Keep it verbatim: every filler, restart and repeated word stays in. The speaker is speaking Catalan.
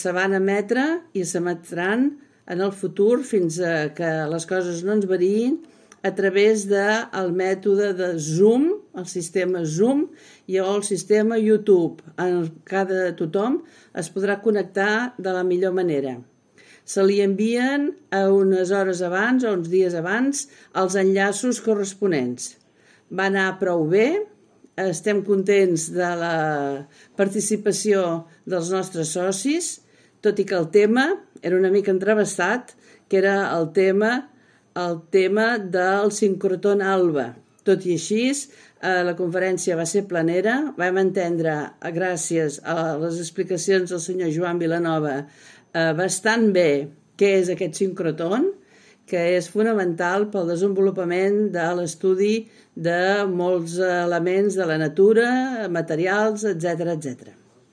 Se van emetre i s'emetran en el futur fins a que les coses no ens variïn a través del mètode de Zoom, el sistema Zoom i el sistema YouTube. En cada tothom es podrà connectar de la millor manera. Se li envien a unes hores abans o uns dies abans els enllaços corresponents. Va anar prou bé, estem contents de la participació dels nostres socis, tot i que el tema era una mica entrevestat, que era el tema, el tema del sincrotron alba. Tot i així, la conferència va ser planera, vam entendre, gràcies a les explicacions del senyor Joan Vilanova, bastant bé què és aquest sincrotron, que és fonamental pel desenvolupament de l'estudi de molts elements de la natura, materials, etcètera, etcètera.